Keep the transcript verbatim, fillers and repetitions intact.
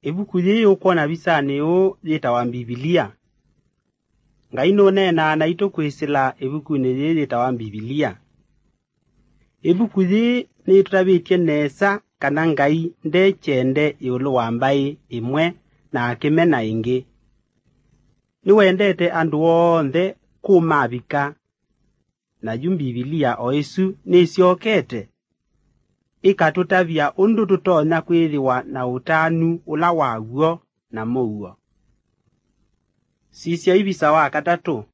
Ĩvuku yĩĩ ũkwona visanĩ ũũ yĩtawa Mbivilia. Ngai nũneenaa naitũ kwĩsĩla ĩvukunĩ yĩĩ yĩtawa Mbivilia. Ĩvuku yĩĩ nĩtũtavĩtye nesa kana Ngai nde kyende ĩũlũ wa mbaĩ ĩmwe na akĩmena ĩngĩ. Nĩwendete andũ onthe kũmavika. Na yu Mbivilia o ĩsu nĩsyokete ĩkatũtavya ũndũ tũtonya kwĩthĩwa na ũtanu ũla wa w'o na mũuo. Sisya ivisa wa katatũ,